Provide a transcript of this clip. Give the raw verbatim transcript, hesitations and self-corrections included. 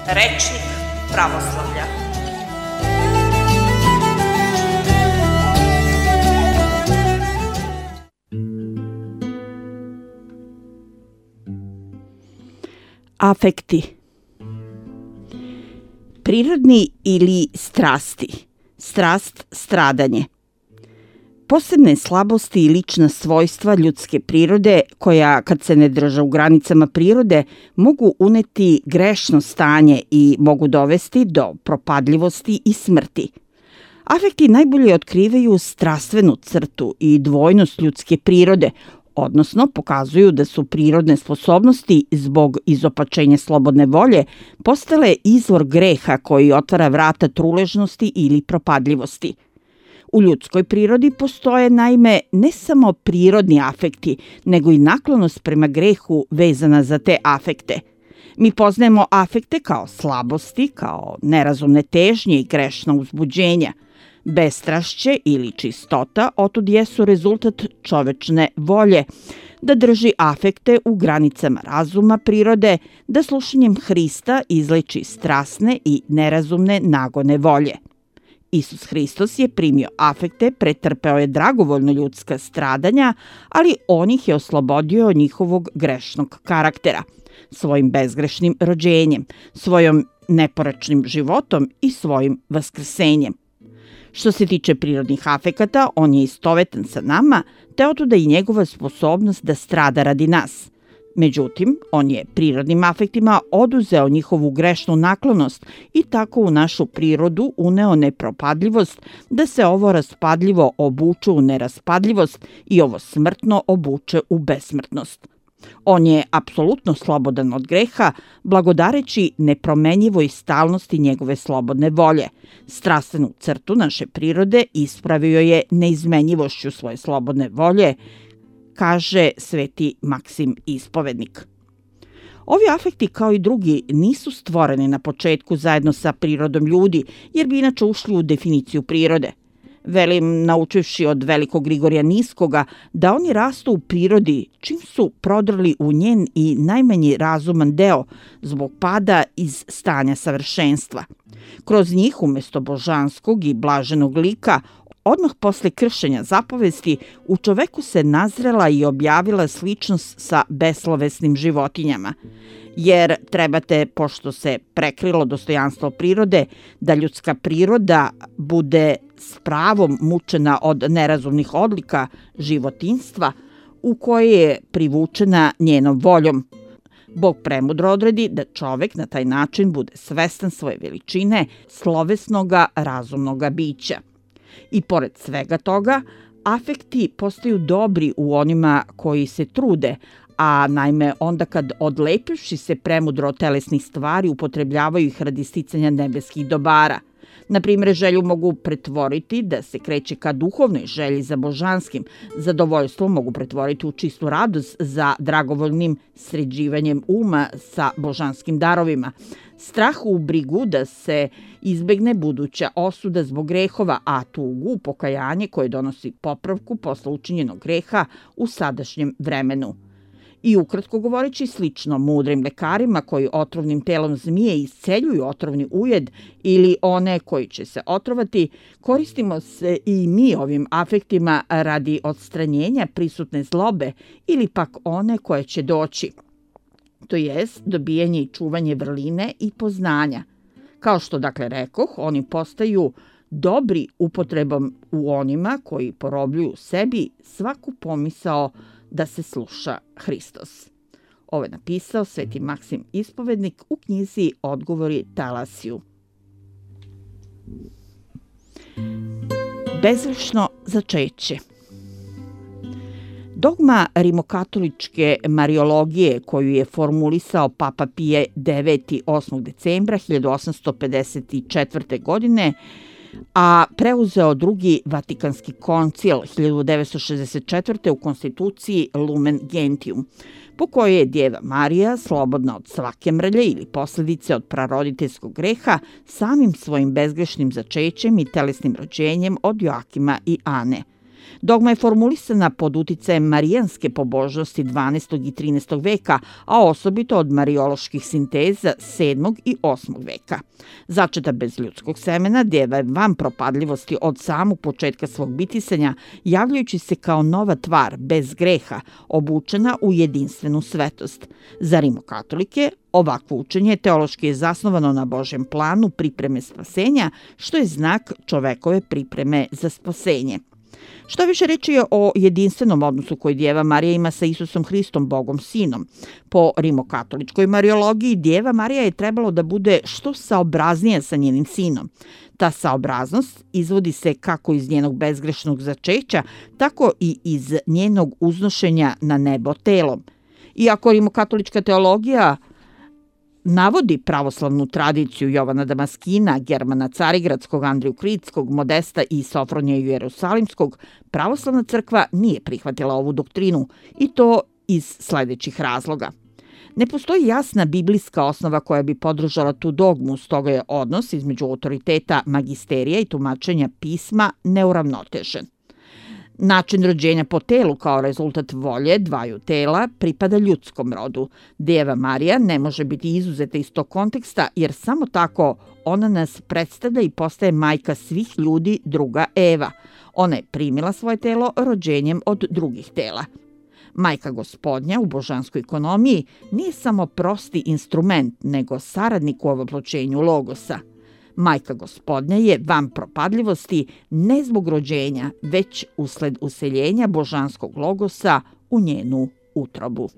Rečnik pravoslavlja. Afekti. Prirodni ili strasti. Strast, stradanje. Posebne slabosti i lična svojstva ljudske prirode, koja, kad se ne drže u granicama prirode, mogu uneti grešno stanje i mogu dovesti do propadljivosti i smrti. Afekti najbolje otkrivaju strastvenu crtu i dvojnost ljudske prirode, odnosno pokazuju da su prirodne sposobnosti zbog izopačenja slobodne volje postale izvor greha koji otvara vrata truležnosti ili propadljivosti. U ljudskoj prirodi postoje naime ne samo prirodni afekti, nego i naklonost prema grehu vezana za te afekte. Mi poznajemo afekte kao slabosti, kao nerazumne težnje i grešna uzbuđenja. Bestrašće ili čistota otud jesu rezultat čovečne volje, da drži afekte u granicama razuma prirode, da slušanjem Hrista izleči strasne i nerazumne nagone volje. Isus Hristos je primio afekte, pretrpeo je dragovoljno ljudska stradanja, ali on ih je oslobodio od njihovog grešnog karaktera, svojim bezgrešnim rođenjem, svojom neporečnim životom i svojim vaskrsenjem. Što se tiče prirodnih afekata, on je istovetan sa nama, te otuda i njegova sposobnost da strada radi nas. Međutim, on je prirodnim afektima oduzeo njihovu grešnu naklonost i tako u našu prirodu uneo nepropadljivost, da se ovo raspadljivo obuče u neraspadljivost i ovo smrtno obuče u besmrtnost. On je apsolutno slobodan od greha, blagodareći nepromenjivoj stalnosti njegove slobodne volje. Strastvenu crtu naše prirode ispravio je neizmenjivošću svoje slobodne volje, kaže sveti Maksim Ispovednik. Ovi afekti, kao i drugi, nisu stvoreni na početku zajedno sa prirodom ljudi, jer bi inače ušli u definiciju prirode. Velim, naučivši od velikog Grigorija Niskoga, da oni rastu u prirodi čim su prodrli u njen i najmanji razuman deo zbog pada iz stanja savršenstva. Kroz njih, umesto božanskog i blaženog lika, odmah posle kršenja zapovesti, u čoveku se nazrela i objavila sličnost sa beslovesnim životinjama. Jer trebate, pošto se prekrilo dostojanstvo prirode, da ljudska priroda bude s pravom mučena od nerazumnih odlika životinjstva u koje je privučena njenom voljom. Bog premudro odredi da čovek na taj način bude svestan svoje veličine, slovesnoga, razumnoga bića. I pored svega toga, afekti postaju dobri u onima koji se trude, a naime onda kad odlepivši se premudro od telesnih stvari upotrebljavaju ih radi sticanja nebeskih dobara. Na primjer, želju mogu pretvoriti da se kreće ka duhovnoj želji za božanskim, zadovoljstvo mogu pretvoriti u čistu radost za dragovoljnim sređivanjem uma sa božanskim darovima, strah u brigu da se izbegne buduća osuda zbog grehova, a tugu u pokajanje koje donosi popravku posle učinjenog greha u sadašnjem vremenu. I ukratko govoreći, slično mudrim lekarima koji otrovnim telom zmije isceljuju otrovni ujed ili one koji će se otrovati, koristimo se i mi ovim afektima radi odstranjenja prisutne zlobe ili pak one koje će doći, to jest dobijanje i čuvanje vrline i poznanja. Kao što dakle rekoh, oni postaju dobri upotrebom u onima koji porobljuju sebi svaku pomisao da se sluša Hristos. Ovo je napisao sveti Maksim Ispovednik u knjizi Odgovori Talasiju. Bezgrešno začeće. Dogma rimokatoličke mariologije koju je formulisao Papa Pije deveti osmog decembra hiljadu osamsto pedeset četvrte. godine, a preuzeo drugi Vatikanski koncil hiljadu devetsto šezdeset četvrte. u konstituciji Lumen Gentium, po kojoj je Djeva Marija, slobodna od svake mrlje ili posljedice od praroditeljskog greha, samim svojim bezgrešnim začećem i telesnim rođenjem od Joakima i Ane. Dogma je formulisana pod uticajem marijanske pobožnosti dvanaestog i trinaestog veka, a osobito od marijoloških sinteza sedmog i osmog veka. Začeta bez ljudskog semena, deva je van propadljivosti od samog početka svog bitisanja, javljajući se kao nova tvar, bez greha, obučena u jedinstvenu svetost. Za rimokatolike, ovakvo učenje teološki je zasnovano na Božjem planu pripreme spasenja, što je znak čovekove pripreme za spasenje. Što više reči je o jedinstvenom odnosu koji Djeva Marija ima sa Isusom Hristom, Bogom Sinom. Po rimokatoličkoj mariologiji, Djeva Marija je trebalo da bude što saobraznija sa njenim sinom. Ta saobraznost izvodi se kako iz njenog bezgrešnog začeća, tako i iz njenog uznošenja na nebo telom. Iako rimokatolička teologija navodi pravoslavnu tradiciju Jovana Damaskina, Germana Carigradskog, Andriju Kritskog, Modesta i Sofronija Jerusalimskog, pravoslavna crkva nije prihvatila ovu doktrinu, i to iz sledećih razloga. Ne postoji jasna biblijska osnova koja bi podržala tu dogmu, stoga je odnos između autoriteta magisterija i tumačenja pisma neuravnotežen. Način rođenja po telu kao rezultat volje dvaju tela pripada ljudskom rodu. Djeva Marija ne može biti izuzeta iz tog konteksta, jer samo tako ona nas predstavlja i postaje majka svih ljudi, druga Eva. Ona je primila svoje telo rođenjem od drugih tela. Majka Gospodnja u božanskoj ekonomiji nije samo prosti instrument, nego saradnik u ovoploćenju logosa. Majka Gospodnja je van propadljivosti ne zbog rođenja, već usled useljenja božanskog logosa u njenu utrobu.